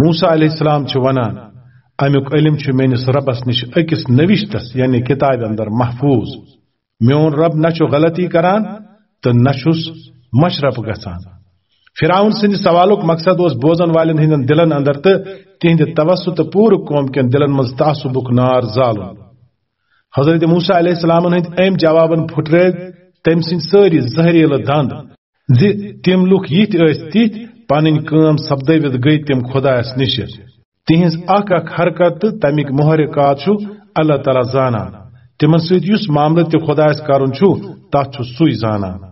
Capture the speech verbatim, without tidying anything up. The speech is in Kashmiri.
موسیٰ علیہ السلام چھُ ونان، امیُک علم چھُ میٲنِس ربس نِش أکِس نوشتس، یعنی کتابہِ اندر محفوظ۔ میون رب نہ چھُ غلطی کران تہٕ نہ چھُس مشرف گژھان۔ فرعون سٕنٛدِ سوالُک مقصد اوس بوزن والٮ۪ن ہٕنٛدٮ۪ن دِلن اندر تہٕ تِہنٛدِ توسط تہٕ پوٗرٕ قوم کٮ۪ن دِلن منٛز تعصبُک نار زالُن۔ حضرت موسیٰ علیہ السلامن ہٕنٛدۍ أمۍ جوابن پھُٹرٲوۍ تٔمۍ سٕنٛدۍ سٲری زہریٖلہٕ دند زِ تِم لُکھ یِتھۍ ٲسۍ تِتھۍ، پنٕنۍ کٲم سپدٲوِتھ گٔے تِم خۄدایس نِش۔ تِہنٛز اکھ اکھ حرکت تہٕ تمیِکۍ محرکات چھُ اللہ تعالیٰ زانان۔ تِمن سۭتۍ یُس معاملہٕ تہِ خۄدایس کرُن چھُ، تتھ چھُ سُے زانان۔